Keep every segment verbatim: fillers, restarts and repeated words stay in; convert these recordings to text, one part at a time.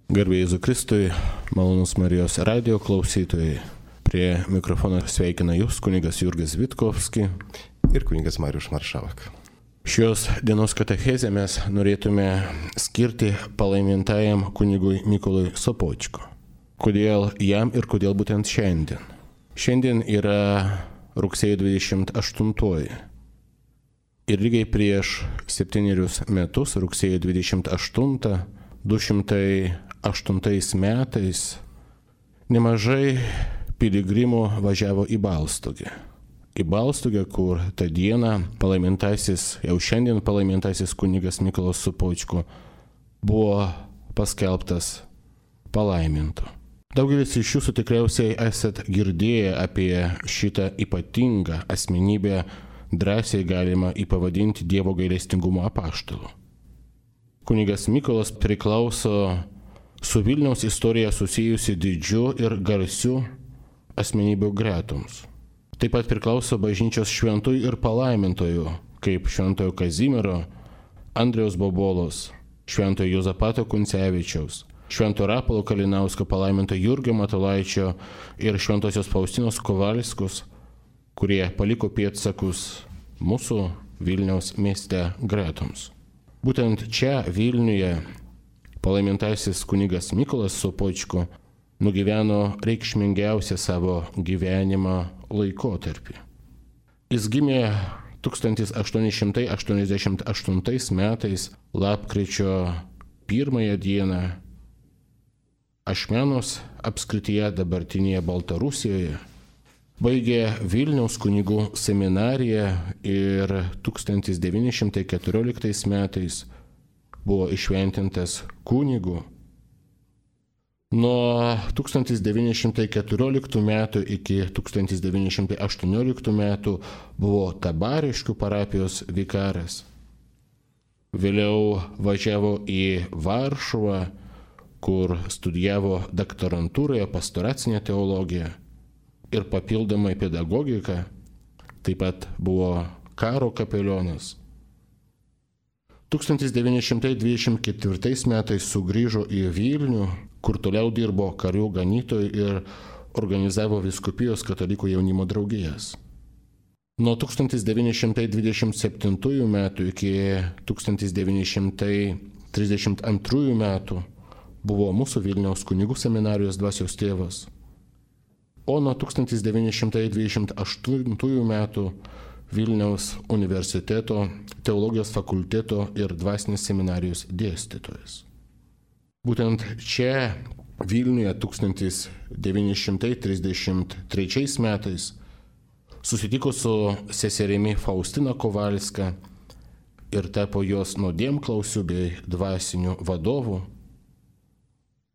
Garbė Jėzui Kristui, malonus Marijos radijo klausytojai. Prie mikrofono sveikina jūs kunigas Jurgis Vitkovski ir kunigas Marius Maršavak. Šios dienos katechezę mes norėtume skirti palaimintajam kunigui Mykolui Sopočko. Kodėl jam ir kodėl būtent šiandien? Šiandien yra rugsėjo dvidešimt aštuntoji. Ir lygiai prieš septynerius metus, rugsėjo dvidešimt aštuntą, du šimtai aštuntais metais, nemažai piligrimų važiavo į Balstogę. Į Balstogę, kur tą dieną palaimintasis, jau šiandien palaimintasis kunigas Mykolas Sopočko buvo paskelbtas palaimintu. Daugelis iš jūsų tikriausiai esat girdėję apie šitą ypatingą asmenybę, drąsiai galima įpavadinti Dievo gailestingumo apaštalu. Kunigas Mykolas priklauso su Vilniaus istorija susijusi didžiu ir garsiu asmenybių gretoms. Taip pat priklauso bažnyčios šventųjų ir palaimintojų, kaip šventojo Kazimiero, Andriaus Bobolos, šventojo Juozapato Kuncevičiaus, švento Rapolo Kalinausko, palaiminto Jurgio Matulaičio ir šventosios Faustinos Kovalskos, kurie paliko pėdsakus mūsų Vilniaus mieste gretoms. Būtent čia Vilniuje palaimintasis kunigas Mykolas Sopočko nugyveno reikšmingiausią savo gyvenimą laikotarpį. Jis gimė tūkstantis aštuoni šimtai aštuoniasdešimt aštuntais metais lapkričio pirmąją dieną Ašmenos apskrityje, dabartinėje Baltarusijoje. Baigė Vilniaus kunigų seminariją ir tūkstantis devyni šimtai keturioliktais metais buvo išventintas kunigu. Nuo tūkstantis devyni šimtai keturioliktų metų iki tūkstantis devyni šimtai aštuonioliktų metų buvo Tabariškių parapijos vikaras. Vėliau važiavo į Varšuvą, kur studijavo doktorantūroje pastoracinę teologiją ir papildomai pedagogiką, taip pat buvo karo kapelionas. tūkstantis devyni šimtai dvidešimt ketvirtais metais sugrįžo į Vilnių, kur toliau dirbo karių ganytoju ir organizavo vyskupijos katalikų jaunimo draugijas. Nuo tūkstantis devyni šimtai dvidešimt septintųjų metų iki tūkstantis devyni šimtai trisdešimt antrųjų metų buvo mūsų Vilniaus kunigų seminarijos dvasios tėvas. O nuo tūkstantis devyni šimtai dvidešimt aštuntųjų metų Vilniaus universiteto, teologijos fakulteto ir dvasinės seminarijos dėstytojas. Būtent čia Vilniuje tūkstantis devyni šimtai trisdešimt trečiais metais susitiko su seserimi Faustina Kovalska ir tapo jos nuodėmklausiu bei dvasiniu vadovu.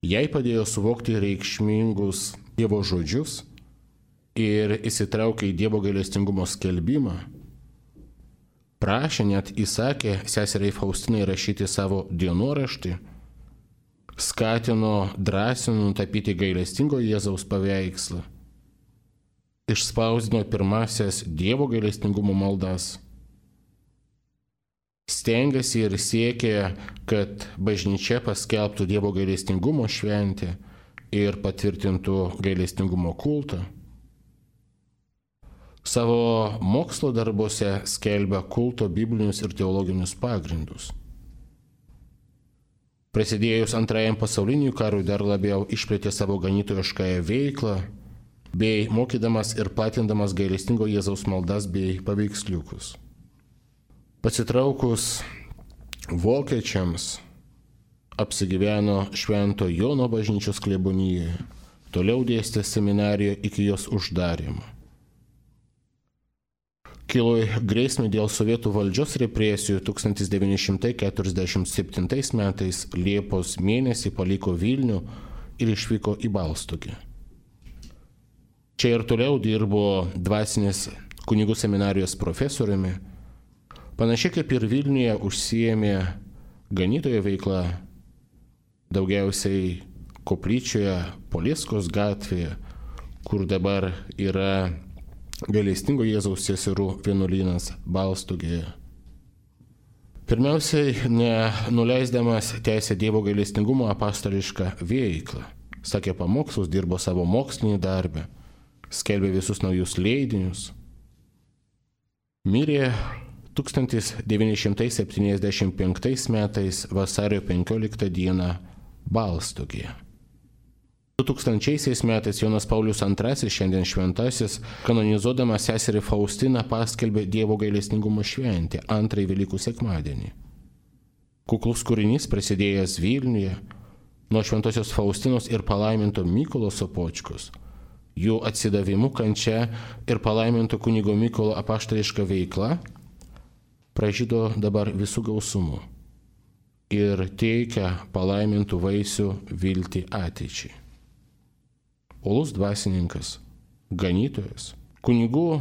Jai padėjo suvokti reikšmingus Dievo žodžius ir įsitraukė į Dievo gailestingumo skelbimą. Prašė, net įsakė seseriai Faustinai rašyti savo dienoraštį, skatino drąsino nutapyti gailestingo Jėzaus paveikslą, išspausdino pirmasias Dievo gailestingumo maldas. Stengėsi ir siekė, kad bažnyčia paskelbtų Dievo gailestingumo šventę ir patvirtintų gailestingumo kultą. Savo mokslo darbuose skelbia kulto biblinius ir teologinius pagrindus. Prasidėjus antrajam pasauliniui karui dar labiau išplėtė savo ganytojiškąją veiklą, bei mokydamas ir platindamas gailestingo Jėzaus maldas bei paveiksliukus. Pasitraukus vokiečiams apsigyveno Švento Jono bažnyčios klebonijoje, toliau dėstė seminarijoje iki jos uždarymo. Kilo grėsmė dėl sovietų valdžios represijų tūkstantis devyni šimtai keturiasdešimt septintais metais Liepos mėnesį paliko Vilnių ir išvyko į Balstogę. Čia ir toliau dirbo dvasinės kunigų seminarijos profesoriumi. Panašiai kaip ir Vilniuje užsiėmė ganytojo veiklą, daugiausiai koplyčioje Polieskos gatvėje, kur dabar yra gailestingo Jėzaus seserų vienuolynas Balstogėje. Pirmiausiai, nenuleisdamas tęsė Dievo gailestingumo apaštališką veiklą. Sakė pamokslus, dirbo savo mokslinį darbą, skelbė visus naujus leidinius. Mirė tūkstantis devyni šimtai septyniasdešimt penktais metais vasario penkioliktą dieną Balstogėje. du tūkstančiaisiais metais Jonas Paulius antrasis, šiandien šventasis, kanonizuodamas seserį Faustiną paskelbė Dievo gailestingumo šventę antrąjį Velykų sekmadienį. Kuklus kūrinys prasidėjęs Vilniuje nuo šventosios Faustinos ir palaiminto Mykolo Sopočkos, jų atsidavimu kančia ir palaiminto kunigo Mykolo apaštališka veikla pražydo dabar visų gausumu ir teikia palaimintų vaisių viltį ateičiai. Uolus dvasininkas, ganytojas, kunigų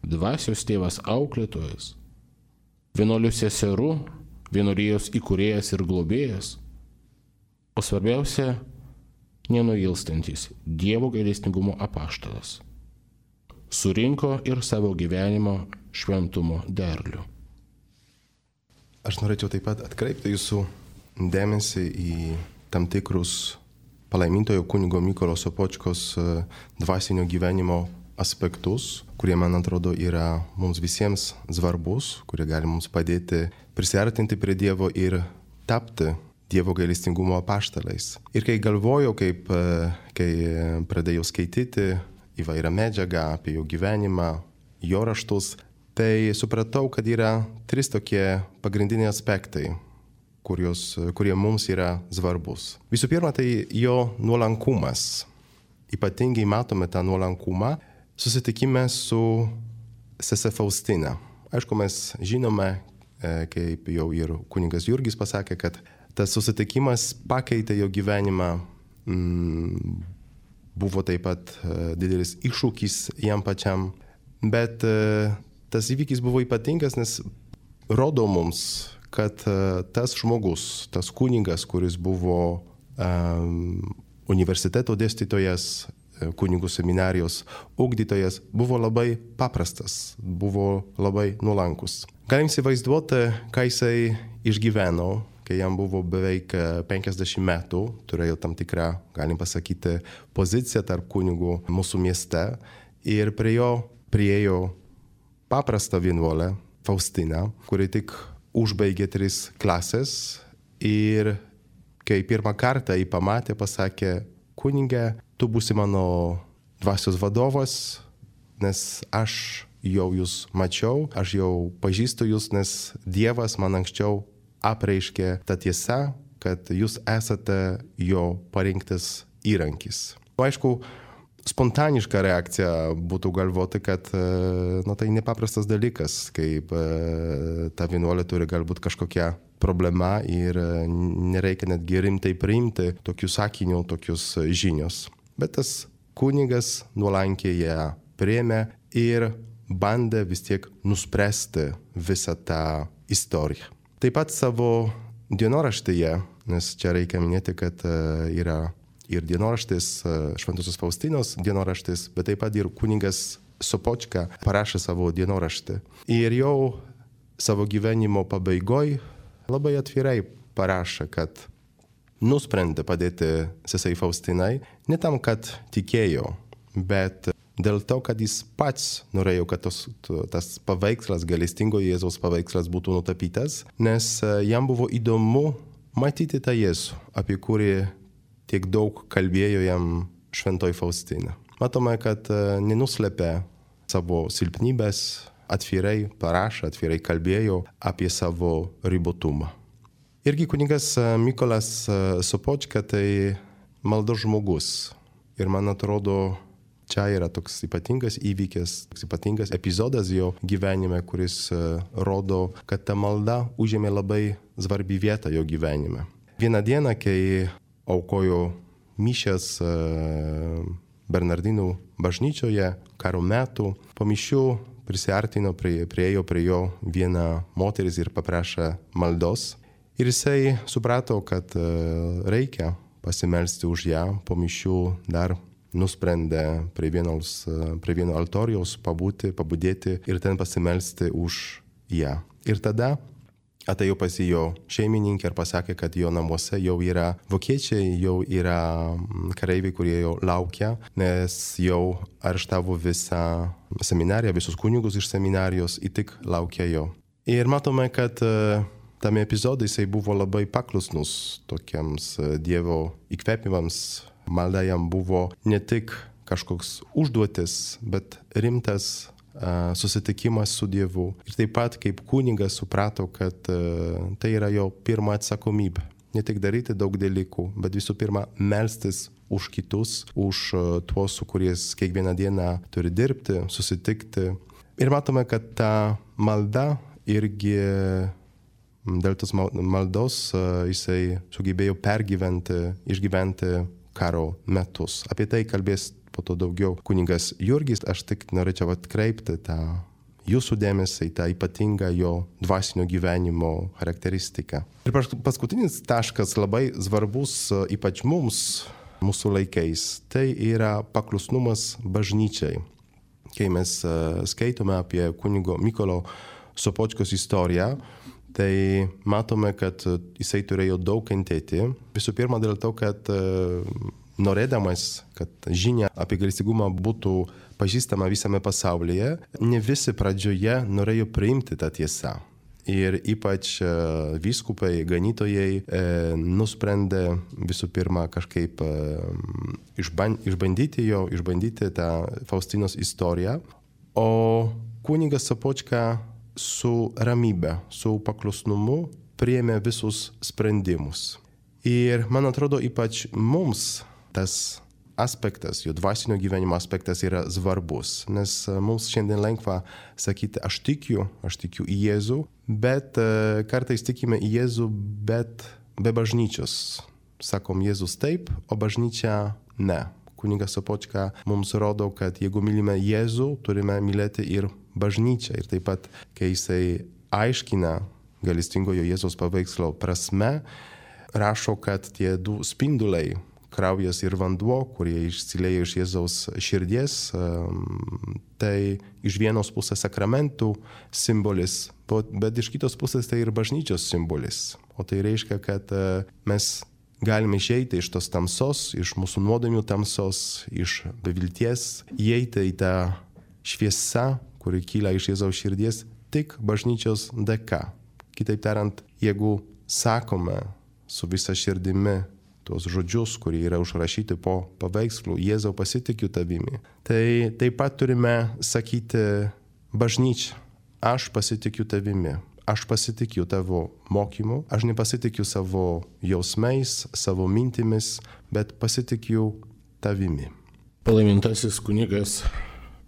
dvasios tėvas auklėtojas, vienuolių seserų, vienuolijos įkūrėjas ir globėjas, o svarbiausia, nenuilstantis Dievo gailestingumo apaštalas. Surinko ir savo gyvenimo šventumo derlių. Aš norėčiau taip pat atkreipti jūsų dėmesį į tam tikrus palaimintojo kunigo Mykolo Sopočkos dvasinio gyvenimo aspektus, kurie, man atrodo, yra mums visiems svarbus, kurie gali mums padėti prisiartinti prie Dievo ir tapti Dievo gailestingumo apaštalais. Ir kai galvojau, kaip, kai pradėjau skaityti įvairią medžiagą apie jo gyvenimą, jo raštus, tai supratau, kad yra trys tokie pagrindiniai aspektai, kurios, kurie mums yra svarbus. Visų pirma, tai jo nuolankumas. Ypatingai matome tą nuolankumą susitikime su sese Faustina. Aišku, mes žinome, kaip jau ir kunigas Jurgis pasakė, kad tas susitikimas pakeitė jo gyvenimą, mm, buvo taip pat didelis iššūkis jam pačiam, bet tas įvykis buvo ypatingas, nes rodo mums, kad tas žmogus, tas kunigas, kuris buvo um, universiteto dėstytojas, kunigų seminarijos ugdytojas, buvo labai paprastas, buvo labai nuolankus. Galim įsivaizduoti, ką jisai išgyveno, kai jam buvo beveik penkiasdešimt metų, turėjo tam tikrą, galim pasakyti, poziciją tarp kunigų mūsų mieste ir prie jo priėjo paprastą vienuolę Faustiną, kuri tik užbaigė tris klasės ir kai pirmą kartą jį pamatė, pasakė: kunige, tu būsi mano dvasios vadovas, nes aš jau jūs mačiau, aš jau pažįstu jūs, nes Dievas man anksčiau apreiškė tą tiesą, kad jūs esate jo parinktas įrankis. Aišku, spontaniška reakcija būtų galvoti, kad nu, tai nepaprastas dalykas, kaip ta vienuolė turi galbūt kažkokią problemą ir nereikia netgi rimtai priimti tokius sakinių, tokius žinios. Bet tas kunigas nuolankiai ją priėmė ir bandė vis tiek nuspręsti visą tą istoriją. Taip pat savo dienoraštyje, nes čia reikia minėti, kad yra ir dienoraštis, Šventosios Faustinos dienoraštis, bet taip pat ir kunigas Sopočka parašė savo dienoraštį. Ir jau savo gyvenimo pabaigoj labai atvirai parašė, kad nusprendė padėti sesei Faustinai ne tam, kad tikėjo, bet dėl to, kad jis pats norėjo, kad tos, tas paveikslas, gailestingo Jėzaus paveikslas būtų nutapytas, nes jam buvo įdomu matyti tą Jėzų, apie kurį tiek daug kalbėjo jam šventoji Faustina. Matome, kad nenuslėpė savo silpnybės, atvirai parašė, atvirai kalbėjo apie savo ribotumą. Irgi kunigas Mykolas Sopočka tai maldos žmogus. Ir man atrodo, čia yra toks ypatingas įvykis, toks ypatingas epizodas jo gyvenime, kuris rodo, kad ta malda užėmė labai svarbi vietą jo gyvenime. Vieną dieną, kai aukojo mišias Bernardinų bažnyčioje karo metu, po mišių prisiartino, prie, priejo prie jo viena moteris ir paprašė maldos. Ir jisai suprato, kad reikia pasimelsti už ją. Po mišių dar nusprendė prie, vienos, prie vieno altorijaus pabūti, pabudėti ir ten pasimelsti už ją. Ir tada atėjo pas jo šeimininkė ir pasakė, kad jo namuose jau yra vokiečiai, jau yra kareiviai, kurie jau laukia, nes jau areštavo visą seminariją, visus kunigus iš seminarijos, ir tik laukia jo. Ir matome, kad tame epizode jisai buvo labai paklusnus tokiems Dievo įkvėpimams. Malda jam buvo ne tik kažkoks užduotis, bet rimtas uh, susitikimas su Dievu. Ir taip pat kaip kunigas suprato, kad uh, tai yra jo pirma atsakomybė. Ne tik daryti daug dalykų, bet visų pirma melstis už kitus, už uh, tuos, su kuriais kiekvieną dieną turi dirbti, susitikti. Ir matome, kad ta malda irgi dėl tos maldos uh, jisai sugebėjo pergyventi, išgyventi karo metus. Apie tai kalbės po to daugiau kunigas Jurgis. Aš tik norėčiau atkreipti tą jūsų dėmesį į tą ypatingą jo dvasinio gyvenimo charakteristiką. Ir paskutinis taškas labai svarbus ypač mums, mūsų laikais, tai yra paklusnumas bažnyčiai. Kai mes skaitome apie kunigo Mykolo Sopočkos istoriją, tai matome, kad jisai turėjo daug kentėti. Visų pirma dėl to, kad norėdamas, kad žinia apie gailestingumą būtų pažįstama visame pasaulyje, ne visi pradžioje norėjo priimti tą tiesą. Ir ypač vyskupai, ganytojai nusprendė visų pirma kažkaip išbandyti jo, išbandyti tą Faustinos istoriją. O kunigas Sopočka su ramybe, su paklusnumu priėmė visus sprendimus. Ir man atrodo, ypač mums tas aspektas, jo dvasinio gyvenimo aspektas yra svarbus, nes mums šiandien lengva sakyti, aš tikiu, aš tikiu į Jėzų, bet kartais tikime į Jėzų, bet be bažnyčios. Sakom, Jėzus taip, o bažnyčia ne. Kunigas Sopočka mums rodo, kad jeigu mylime Jėzų, turime mylėti ir bažnyčią. Ir taip pat, kai jisai aiškina gailestingojo Jėzaus paveikslo prasme, rašo, kad tie du spinduliai, kraujas ir vanduo, kurie išsilieja iš Jėzaus širdies, tai iš vienos pusės sakramentų simbolis, bet iš kitos pusės tai ir bažnyčios simbolis. O tai reiškia, kad mes galime išeiti iš tos tamsos, iš mūsų nuodėmių tamsos, iš bevilties, įeiti į tą šviesą, kuri kyla iš Jėzaus širdies, tik bažnyčios dėka. Kitaip tariant, jeigu sakome su visa širdimi tuos žodžius, kurie yra užrašyti po paveikslu, Jėzau pasitikiu tavimi, tai taip pat turime sakyti bažnyčia, aš pasitikiu tavimi. Aš pasitikiu tavo mokymu, aš nepasitikiu savo jausmais, savo mintimis, bet pasitikiu tavimi. Palaimintasis kunigas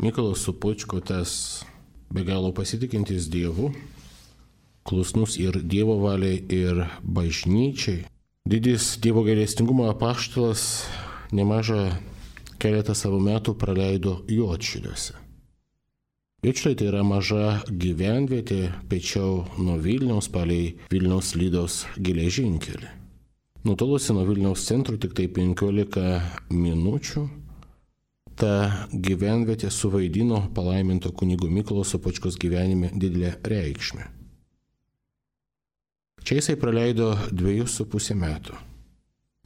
Mykolas Sopočko, tas be galo pasitikintis Dievu, klusnus ir Dievo valiai, ir bažnyčiai. Didis Dievo gailestingumo apaštalas nemažą keletą savo metų praleido Juodšiliuose. Juodšiliai tai yra maža gyvenvietė pečiau nuo Vilniaus palei Vilniaus Lydos geležinkelį. Nutolusi nuo Vilniaus centro tik tai penkiolika minučių, ta gyvenvietė suvaidino palaiminto kunigo Mykolo Sopočkos gyvenime didelę reikšmę. Čia jisai praleido dviejus su pusę metų.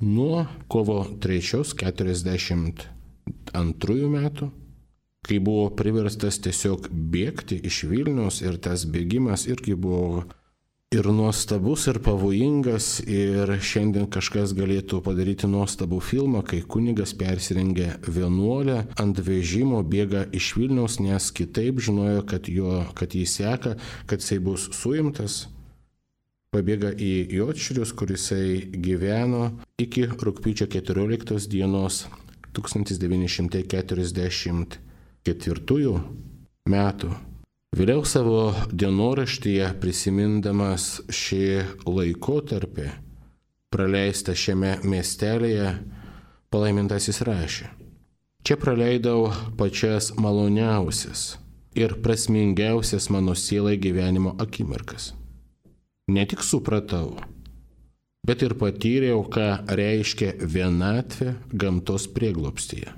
Nuo kovo trečios keturiasdešimt antrųjų metų, kai buvo priverstas tiesiog bėgti iš Vilniaus, ir tas bėgimas irgi buvo ir nuostabus, ir pavojingas, ir šiandien kažkas galėtų padaryti nuostabų filmą, kai kunigas persirengia vienuolę, ant vežimo bėga iš Vilniaus, nes kitaip žinojo, kad, jo, kad jį seka, kad jisai bus suimtas. Pabėga į Juodšilius, kur jisai gyveno iki rugpjūčio keturioliktos dienos tūkstantis devyni šimtai keturiasdešimt ketvirtųjų metų. Vėliau savo dienoraštyje, prisimindamas šį laikotarpį praleistą šiame miestelėje, palaimintasis rašė: čia praleidau pačias maloniausias ir prasmingiausias mano sielai gyvenimo akimirkas. Ne tik supratau, bet ir patyriau, ką reiškia vienatvė gamtos prieglobstyje,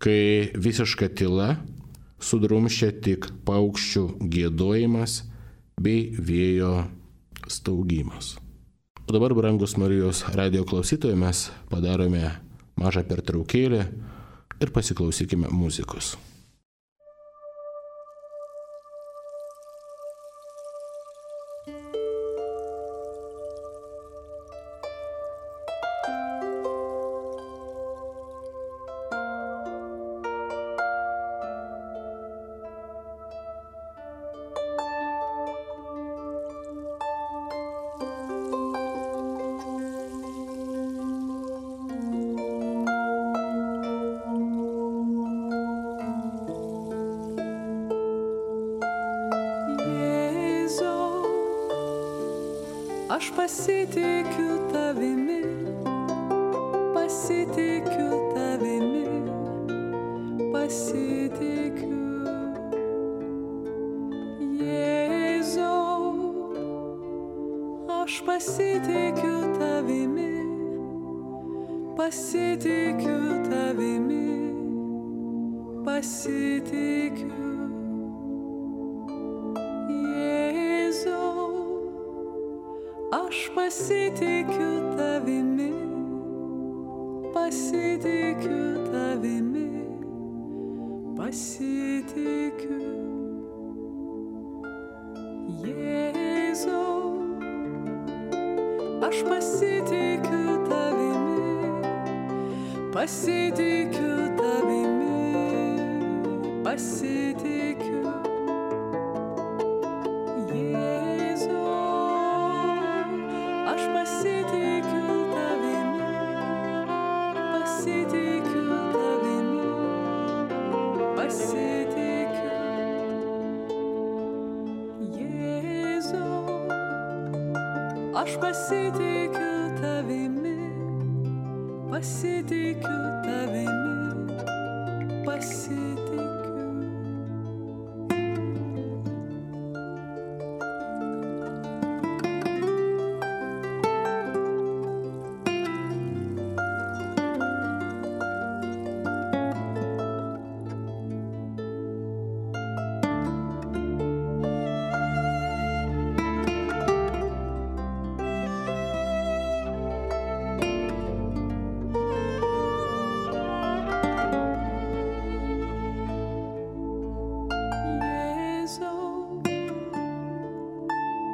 kai visiška tyla sudrumščia tik paukščių giedojimas bei vėjo staugimas. O dabar, brangus Marijos radijo klausytojai, mes padarome mažą pertraukėlę ir pasiklausykime muzikos. Aš pasitikiu tavimi, pasitikiu tavimi, pasitikiu. Jėzau, aš pasitikiu tavimi, pasitikiu tavimi, pasitikiu. Aš pasitikiu tavimi, pasitikiu tavimi, pasitikiu. Jėzau, aš pasitikiu tavimi, pasitikiu tavimi, pasitikiu. Aš pasitikiu tavimi, pasitikiu tavimi, pasitikiu. Jėzau, aš pasitikiu tavimi, pasitikiu tavimi, pasitikiu.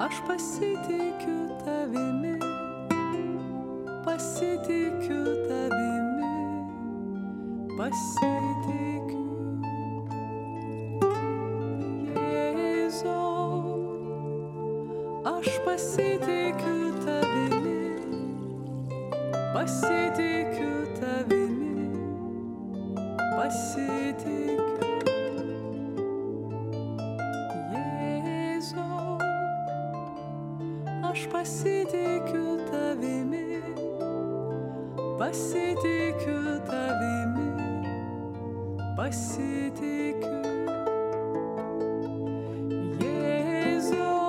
Aš pasitikiu tavimi, pasitikiu tavimi, pasitikiu. Jėzau, aš pasitikiu tavimi, pasitikiu tavimi, pasitikiu. Aš pasitikiu tavimi, pasitikiu tavimi, pasitikiu. Jėzau,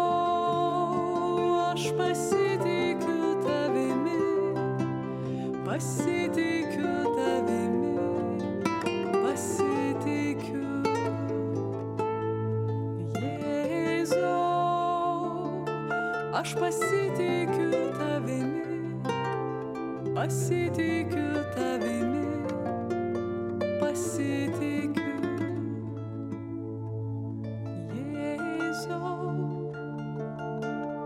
aš pasitikiu tavimi, pasitikiu tavimi, pasitikiu. Aš pasitikiu tavimi, pasitikiu tavimi, pasitikiu. Jėzau,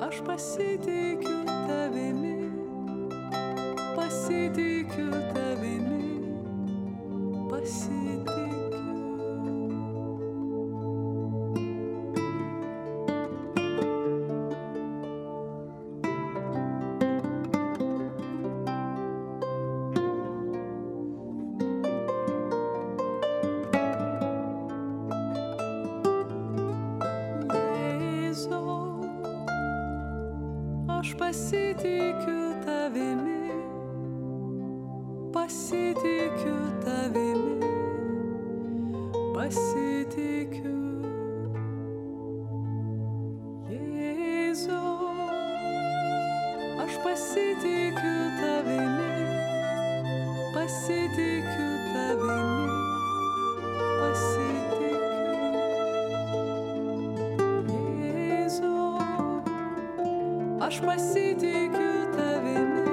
aš pasitikiu tavimi, pasitikiu tavimi, pasitikiu. Aš pasitikiu tavimi, pasitikiu tavimi, pasitikiu. Jėzau, aš pasitikiu tavimi, pasitikiu tavimi, pasitikiu. aš pasitikiu tavimi,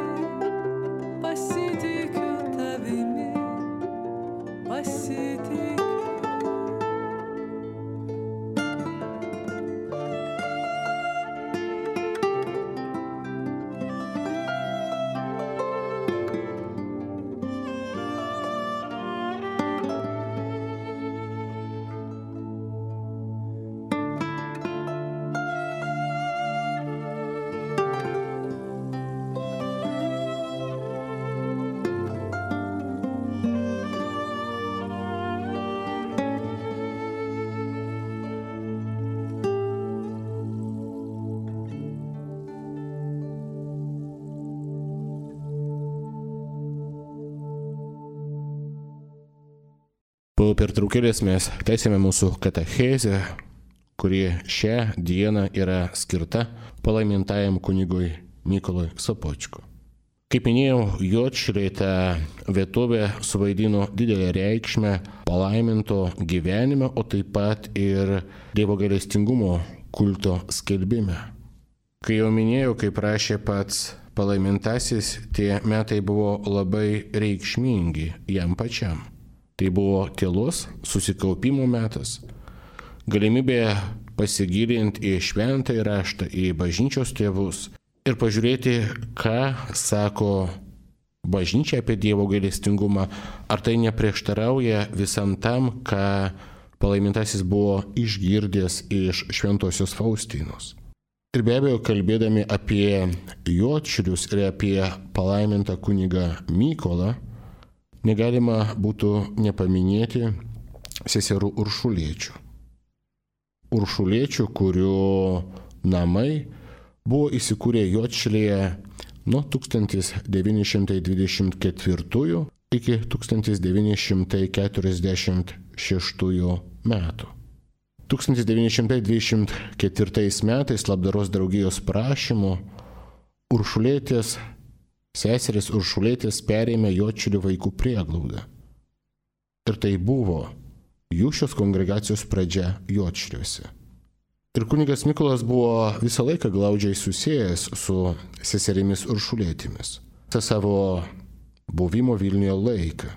pasitikiu tavimi, pasitikiu. Po pertraukėlės mes tęsėme mūsų katechezę, kuri šią dieną yra skirta palaimintajam kunigui Mykolui Sopočko. Kaip minėjau, Juodšiliai ta vietovė suvaidino didelę reikšmę palaiminto gyvenime, o taip pat ir Dievo gailestingumo kulto skelbime. Kai jau minėjau, kaip rašė pats palaimintasis, tie metai buvo labai reikšmingi jam pačiam. Tai buvo tylos susikaupimo metas, galimybė pasigilinti į šventąjį raštą, į bažnyčios tėvus ir pažiūrėti, ką sako bažnyčia apie Dievo gailestingumą, ar tai neprieštarauja visam tam, ką palaimintasis buvo išgirdęs iš šventosios Faustinos. Ir be abejo, kalbėdami apie Juodšilius ir apie palaimintą kunigą Mykolą, negalima būtų nepaminėti seserų Uršuliečių. Uršuliečių, kurių namai buvo įsikūrę Juodšilėje nuo tūkstantis devyni šimtai dvidešimt ketvirtųjų iki tūkstantis devyni šimtai keturiasdešimt šeštųjų metų. tūkstantis devyni šimtai dvidešimt ketvirtais metais labdaros draugijos prašymu Uršulietės seseris Uršulietės perėmė Juodšilių vaikų prieglaudą. Ir tai buvo jų šios kongregacijos pradžia Juodšiliuose. Ir kunigas Mykolas buvo visą laiką glaudžiai susijęs su seserimis Uršulietėmis. Visą savo buvimo Vilniuje laiką.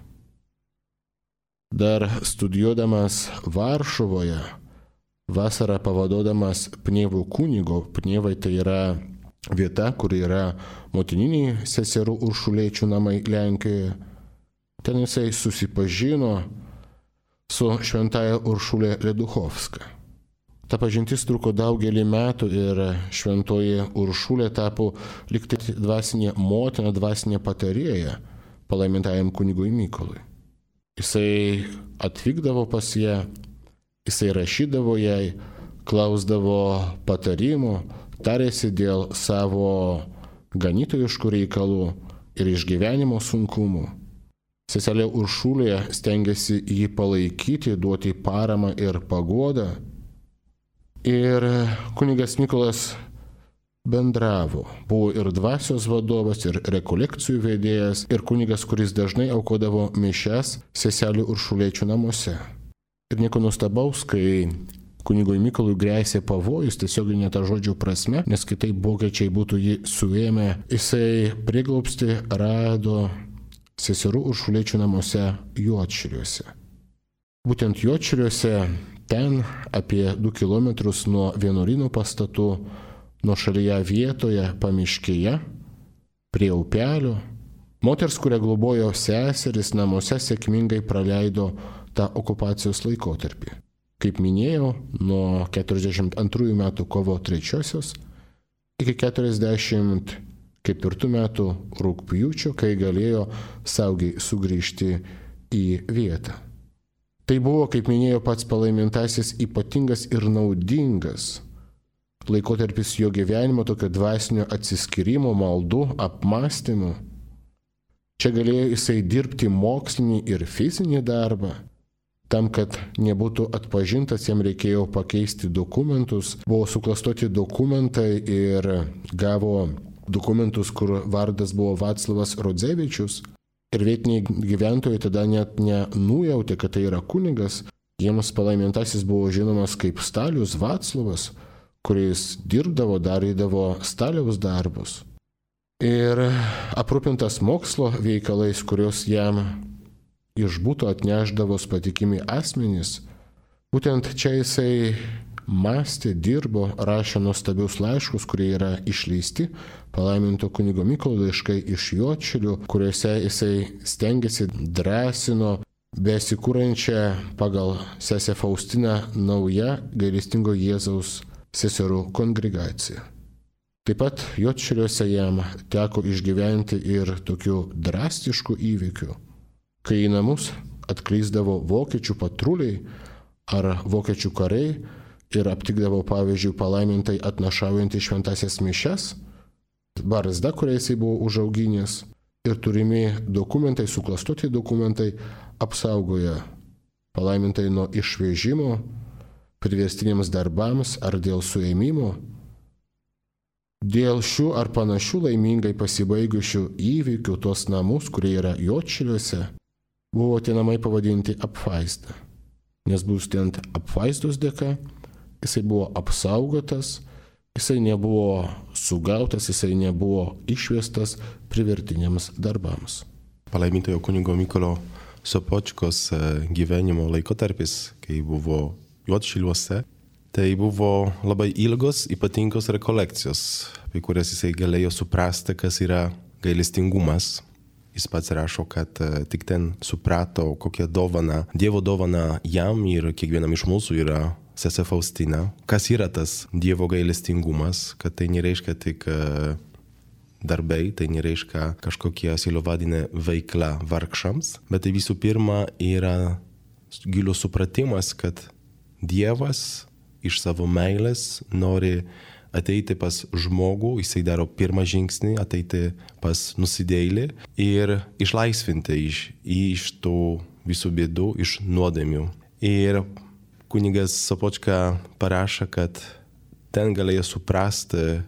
Dar studijuodamas Varšuvoje, vasarą pavaduodamas Pnievų kunigo, Pnievai tai yra vieta, kur yra motininiai seserų Uršuliečių namai Lenkijoje. Ten jisai susipažino su šventaja Uršulė Leduchovska. Ta pažintis truko daugelį metų ir šventoji Uršulė tapo lyg tai dvasinė motina, dvasinė patarėja palaimintajam kunigui Mykolui. Jisai atvykdavo pas ją, jisai rašydavo jai, klausdavo patarimų, tarėsi dėl savo ganytojiškų reikalų ir išgyvenimo sunkumų. Seselė Uršulė stengiasi jį palaikyti, duoti paramą ir paguodą. Ir kunigas Mykolas bendravo. Buvo ir dvasios vadovas, ir rekolekcijų vedėjas, ir kunigas, kuris dažnai aukodavo mišias seselių Uršuliečių namuose. Ir nieko nuostabaus, kai kunigui Mykolui grėsė pavojus, tiesioginė ta žodžio prasme, nes kitaip vokiečiai būtų jį suėmę. Jisai prieglobstį rado seserų Uršuliečių namuose Juodšiliuose. Būtent Juodšiliuose, ten apie du kilometrus nuo vienuolyno pastatų, nuo šalyje vietoje pamiškėje, prie upelio, moters, kurią globojo seseris, namuose sėkmingai praleido tą okupacijos laikotarpį. Kaip minėjau, nuo keturiasdešimt antrųjų metų kovo trečiosios iki keturiasdešimt ketvirtų metų rugpjūčio, kai galėjo saugiai sugrįžti į vietą. Tai buvo, kaip minėjo pats palaimintasis, ypatingas ir naudingas laikotarpis jo gyvenimo, tokio dvasinio atsiskyrimo, maldų, apmąstymų. Čia galėjo jisai dirbti mokslinį ir fizinį darbą. Tam, kad nebūtų atpažintas, jam reikėjo pakeisti dokumentus. Buvo suklastoti dokumentai ir gavo dokumentus, kur vardas buvo Vaclavas Rodzevičius. Ir vietiniai gyventojai tada net nenujautė, kad tai yra kunigas. Jiems palaimintasis buvo žinomas kaip Stalius Vaclavas, kuris dirbdavo, darydavo staliaus darbus. Ir aprūpintas mokslo veikalais, kuriuos jam iš būto atneždavo patikimi asmenys, būtent čia jisai mąstė, dirbo, rašė nuostabius laiškus, kurie yra išleisti, palaiminto kunigo Mykolo laiškai iš Juodšilių, kuriuose jisai stengiasi, drąsino besikūrančią pagal sesę Faustiną naują gailestingo Jėzaus seserų kongregaciją. Taip pat Juodšiliuose jam teko išgyventi ir tokių drastiškų įvykių, kai į namus atklysdavo vokiečių patruliai ar vokiečių kariai ir aptikdavo, pavyzdžiui, palaimintai atnašaujantį šventasias mišias, barzda, kurią jisai buvo užauginęs, ir turimi dokumentai, suklastoti dokumentai apsaugoja palaimintai nuo išvežimo, priverstiniams darbams ar dėl suėmimo. Dėl šių ar panašių laimingai pasibaigusių įvykių tos namus, kurie yra Juodšiliuose, buvo tie namai pavadinti apvaizda. Nes būtent apvaizdos dėka jisai buvo apsaugotas, jisai nebuvo sugautas, jisai nebuvo išvestas privertiniams darbams. Palaimintojo kunigo Mykolo Sopočkos gyvenimo laikotarpis, kai buvo Juodšiliuose, tai buvo labai ilgos, ypatingos rekolekcijos, apie kurias jisai galėjo suprasti, kas yra gailestingumas. Jis pats rašo, kad tik ten suprato, kokią dovaną, Dievo dovaną jam ir kiekvienam iš mūsų yra sesė Faustina. Kas yra tas Dievo gailestingumas, kad tai nereiškia tik darbai, tai nereiškia kažkokia silovadinė veikla vargšams, bet tai visų pirma yra gilus supratimas, kad Dievas iš savo meilės nori ateiti pas žmogų, jisai daro pirmą žingsnį, ateiti pas nusidėjėlį ir išlaisvinti iš, iš tų visų bėdų, iš nuodėmių. Ir kunigas Sopočka parašo, kad ten galėjo suprasti,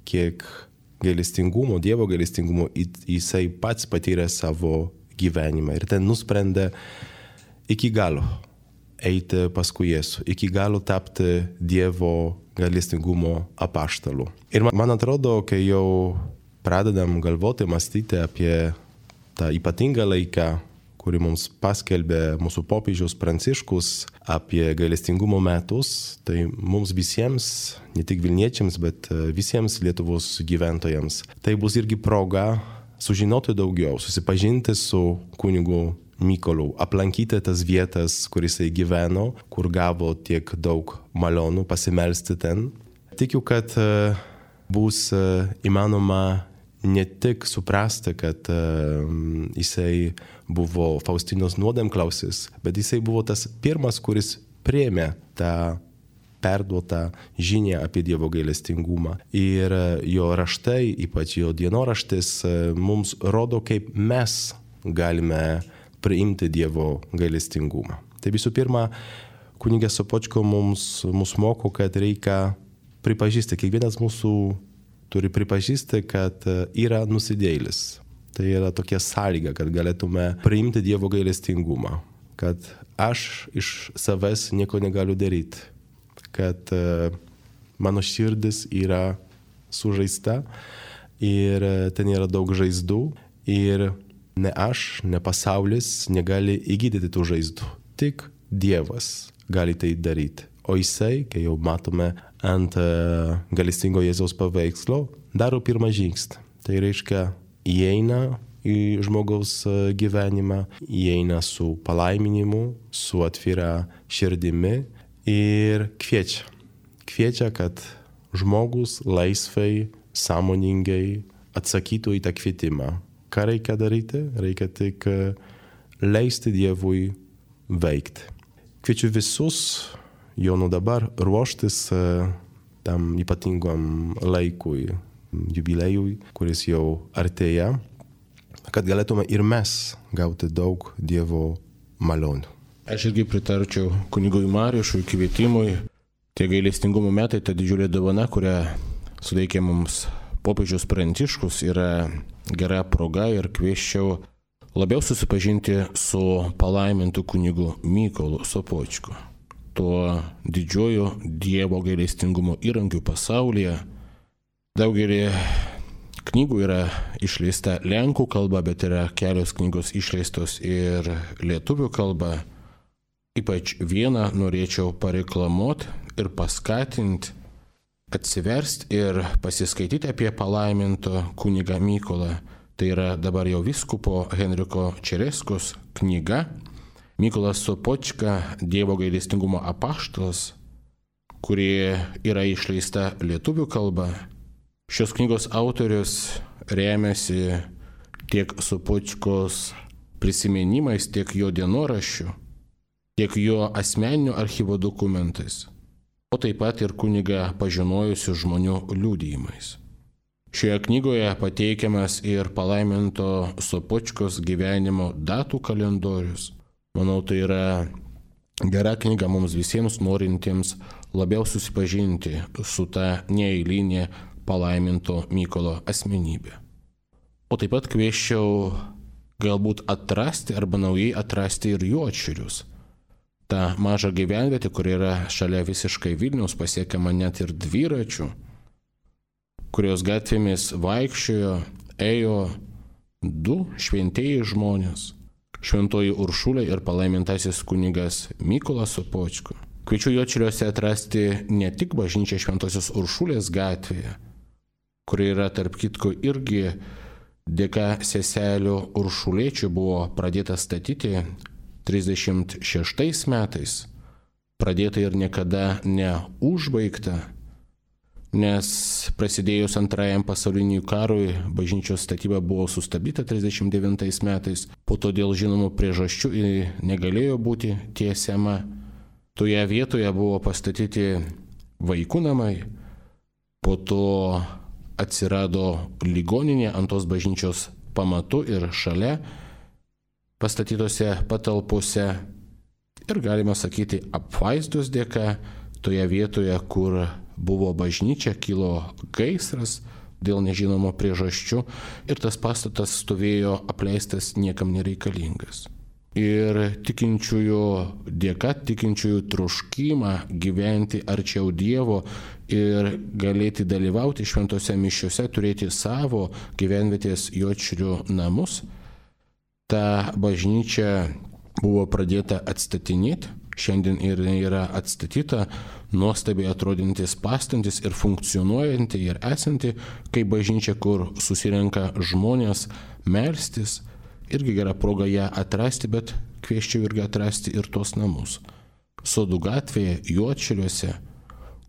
kiek gailestingumo, Dievo gailestingumo jisai pats patyrė savo gyvenimą. Ir ten nusprendė iki galo eiti paskui Jėzų, iki galo tapti Dievo gailestingumo apaštalu. Ir man atrodo, kai jau pradedam galvoti, mąstyti apie tą ypatingą laiką, kurį mums paskelbė mūsų popiežius Pranciškus apie gailestingumo metus, tai mums visiems, ne tik Vilniečiams, bet visiems Lietuvos gyventojams, tai bus irgi proga sužinoti daugiau, susipažinti su kunigu Mykolu, aplankyti tas vietas, kur jisai gyveno, kur gavo tiek daug malonų, pasimelsti ten. Tikiu, kad bus įmanoma ne tik suprasti, kad jisai buvo Faustinos nuodėmklausis, bet jisai buvo tas pirmas, kuris priėmė tą perduotą žinią apie Dievo gailestingumą. Ir jo raštai, ypač jo dienoraštis, mums rodo, kaip mes galime priimti Dievo gailestingumą. Tai visų pirma, kunigas Sopočko mums, mums moko, kad reikia pripažįsti, kiekvienas mūsų turi pripažįsti, kad yra nusidėjėlis. Tai yra tokia sąlyga, kad galėtume priimti Dievo gailestingumą, kad aš iš savęs nieko negaliu daryti, kad mano širdis yra sužaista ir ten yra daug žaizdų ir ne aš, ne pasaulis negali įgydyti tų žaizdų. Tik Dievas gali tai daryti. O jisai, kai jau matome ant gailestingo Jėzaus paveikslo, daro pirmą žingsnį. Tai reiškia, įeina į žmogaus gyvenimą, įeina su palaiminimu, su atvira širdimi ir kviečia. Kviečia, kad žmogus laisvai, sąmoningai atsakytų į tą kvietimą. Ką reikia daryti? Reikia tik leisti Dievui veikti. Kviečiu visus jau nuo dabar ruoštis tam ypatingam laikui, jubiliejui, kuris jau artėja, kad galėtume ir mes gauti daug Dievo malonių. Aš irgi pritarčiau kunigui Mariušui kvietimui. Tie gailestingumo metai, ta didžiulė dovana, kurią suteikė mums popiežius Pranciškus, yra gera proga ir kvieščiau labiau susipažinti su palaimintu kunigu Mykolu Sopočku. tuo didžiuoju Dievo gailestingumo įrankiu pasaulyje. Daugelį knygų yra išleista lenkų kalba, bet yra kelios knygos išleistos ir lietuvių kalba. Ypač vieną norėčiau pareklamuoti ir paskatinti, atsiversti ir pasiskaityti apie palaiminto kunigą Mykolą. Tai yra dabar jau vyskupo Henriko Čereskos knyga Mykolas Sopočka Dievo gailestingumo apaštalas, kuri yra išleista lietuvių kalba. Šios knygos autorius remiasi tiek Sopočkos prisiminimais, tiek jo dienoraščiu, tiek jo asmeninių archyvo dokumentais, o taip pat ir kunigą pažinojusių žmonių liudijimais. Šioje knygoje pateikiamas ir palaiminto Sopočkos gyvenimo datų kalendorius. Manau, tai yra gera knyga mums visiems norintiems labiau susipažinti su ta neeilinė palaiminto Mykolo asmenybė. O taip pat kvieščiau galbūt atrasti arba naujai atrasti ir Juodšilius. Ta maža gyvenvietė, kur yra šalia visiškai Vilniaus, pasiekiama net ir dviračių, kurios gatvėmis vaikščiojo, ėjo du šventieji žmonės - šventoji Uršulė ir palaimintasis kunigas Mykolas Sopočka. Kviečiu Juodšiliuose atrasti ne tik bažnyčią Šventosios Uršulės gatvėje, kuri yra tarp kitko irgi dėka seselio Uršulėčių buvo pradėta statyti trisdešimt šeštais metais, pradėta ir niekada neužbaigta, nes prasidėjus antrajam pasauliniui karui bažnyčios statyba buvo sustabdyta trisdešimt devintais metais, po to dėl žinomų priežasčių negalėjo būti tiesiama. Toje vietoje buvo pastatyti vaikų namai, po to atsirado ligoninė ant tos bažnyčios pamatų ir šalia pastatytose patalpose ir galima sakyti apvaizdos dėka toje vietoje, kur buvo bažnyčia, kilo gaisras dėl nežinomo priežasčių ir tas pastatas stovėjo apleistas, niekam nereikalingas. Ir tikinčiųjų dėka, tikinčiųjų troškimą gyventi arčiau Dievo ir galėti dalyvauti šventose mišiose, turėti savo gyvenvietės Juodšilių namus, ta bažnyčia buvo pradėta atstatinėti, šiandien ir yra atstatyta, nuostabiai atrodantis pastantis ir funkcionuojanti ir esanti kaip bažnyčia, kur susirenka žmonės melstis. Irgi gera proga ją atrasti, bet kvieščiau irgi atrasti ir tos namus. Sodų gatvėje, Juodšiliuose,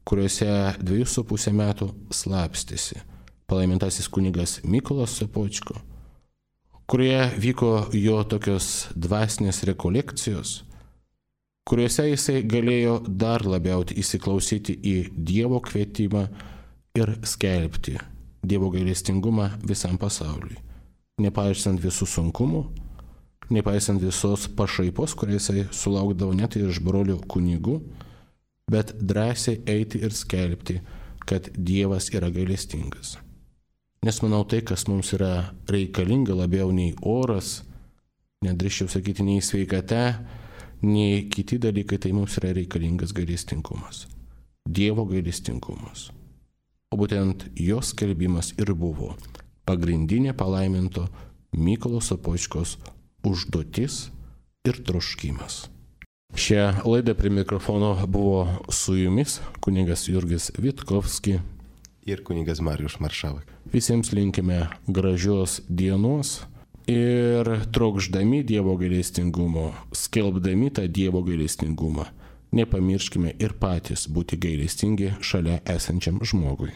kuriuose dviejus su pusę metų slapstėsi palaimintasis kunigas Mykolas Sopočka, kurioje vyko jo tokios dvasinės rekolekcijos, kuriuose jisai galėjo dar labiau įsiklausyti į Dievo kvietimą ir skelbti Dievo gailestingumą visam pasauliui. Nepaisant visų sunkumų, nepaisant visos pašaipos, kurią jisai sulaukdavo net iš brolių kunigų, bet drąsiai eiti ir skelbti, kad Dievas yra gailestingas. Nes manau, tai, kas mums yra reikalinga labiau nei oras, nedrįsčiau sakyti nei sveikata, nei kiti dalykai, tai mums yra reikalingas gailestingumas. Dievo gailestingumas. O būtent jos skelbimas ir buvo pagrindinė palaiminto Mykolo Sopočkos užduotis ir troškimas. Šią laidą prie mikrofono buvo su jumis kunigas Jurgis Vitkovski ir kunigas Marijus Maršavas. Visiems linkime gražios dienos ir trokšdami Dievo gailestingumo, skelbdami tą Dievo gailestingumą, nepamirškime ir patys būti gailestingi šalia esančiam žmogui.